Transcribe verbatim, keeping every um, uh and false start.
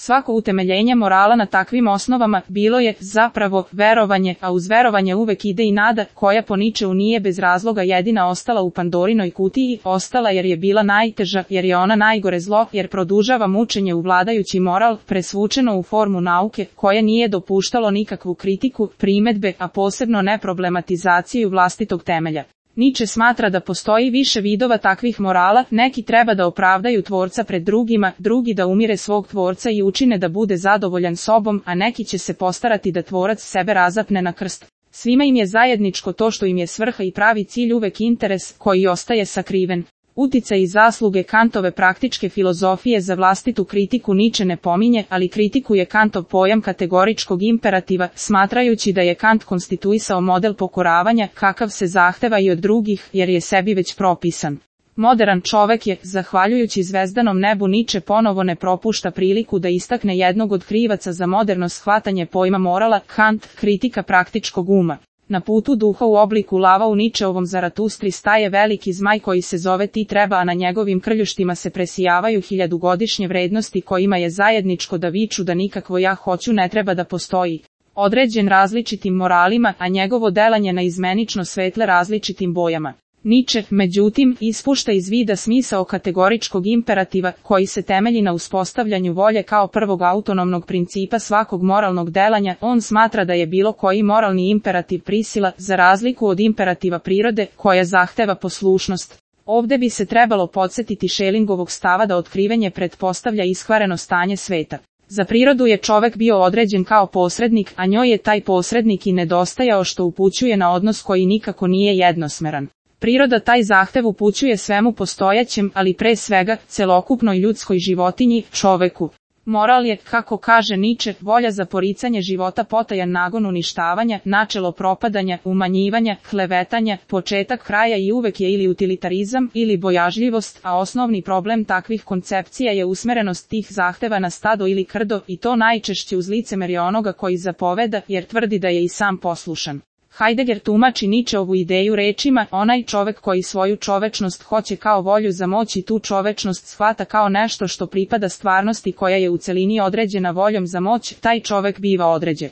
Svako utemeljenje morala na takvim osnovama bilo je, zapravo, verovanje, a uz verovanje uvek ide i nada, koja po Ničeu nije bez razloga jedina ostala u Pandorinoj kutiji, ostala jer je bila najteža, jer je ona najgore zlo, jer produžava mučenje u vladajući moral, presvučeno u formu nauke, koje nije dopuštalo nikakvu kritiku, primedbe, a posebno ne problematizaciju vlastitog temelja. Niče smatra da postoji više vidova takvih morala, neki treba da opravdaju tvorca pred drugima, drugi da umire svog tvorca i učine da bude zadovoljan sobom, a neki će se postarati da tvorac sebe razapne na krst. Svima im je zajedničko to što im je svrha i pravi cilj uvek interes, koji ostaje sakriven. Uticaj i zasluge Kantove praktičke filozofije za vlastitu kritiku Niče ne pominje, ali kritikuje Kantov pojam kategoričkog imperativa, smatrajući da je Kant konstituisao model pokoravanja, kakav se zahteva i od drugih, jer je sebi već propisan. Moderan čovek je, zahvaljujući zvezdanom nebu Niče ponovo ne propušta priliku da istakne jednog od krivaca za moderno shvatanje pojma morala, Kant, kritika praktičkog uma. Na putu duha u obliku lava u Ničeovom Zaratustri staje veliki zmaj koji se zove Ti treba, a na njegovim krljuštima se presijavaju hiljadugodišnje vrednosti kojima je zajedničko da viču da nikakvo ja hoću ne treba da postoji. Određen različitim moralima, a njegovo delanje na izmenično svetle različitim bojama. Niče, međutim, ispušta iz vida smisao kategoričkog imperativa, koji se temelji na uspostavljanju volje kao prvog autonomnog principa svakog moralnog delanja. On smatra da je bilo koji moralni imperativ prisila, za razliku od imperativa prirode, koja zahteva poslušnost. Ovde bi se trebalo podsjetiti Schellingovog stava da otkrivenje pretpostavlja iskvareno stanje sveta. Za prirodu je čovek bio određen kao posrednik, a njoj je taj posrednik i nedostajao, što upućuje na odnos koji nikako nije jednosmeran. Priroda taj zahtev upućuje svemu postojećem, ali pre svega, celokupnoj ljudskoj životinji, čoveku. Moral je, kako kaže Niče, volja za poricanje života, potajan nagon uništavanja, načelo propadanja, umanjivanja, klevetanja, početak kraja i uvek je ili utilitarizam, ili bojažljivost, a osnovni problem takvih koncepcija je usmerenost tih zahteva na stado ili krdo, i to najčešće uz licemerje onoga koji zapoveda, jer tvrdi da je i sam poslušan. Heidegger tumači Ničeovu ideju rečima, onaj čovek koji svoju čovečnost hoće kao volju za moć i tu čovečnost shvata kao nešto što pripada stvarnosti koja je u celini određena voljom za moć, taj čovek biva određen.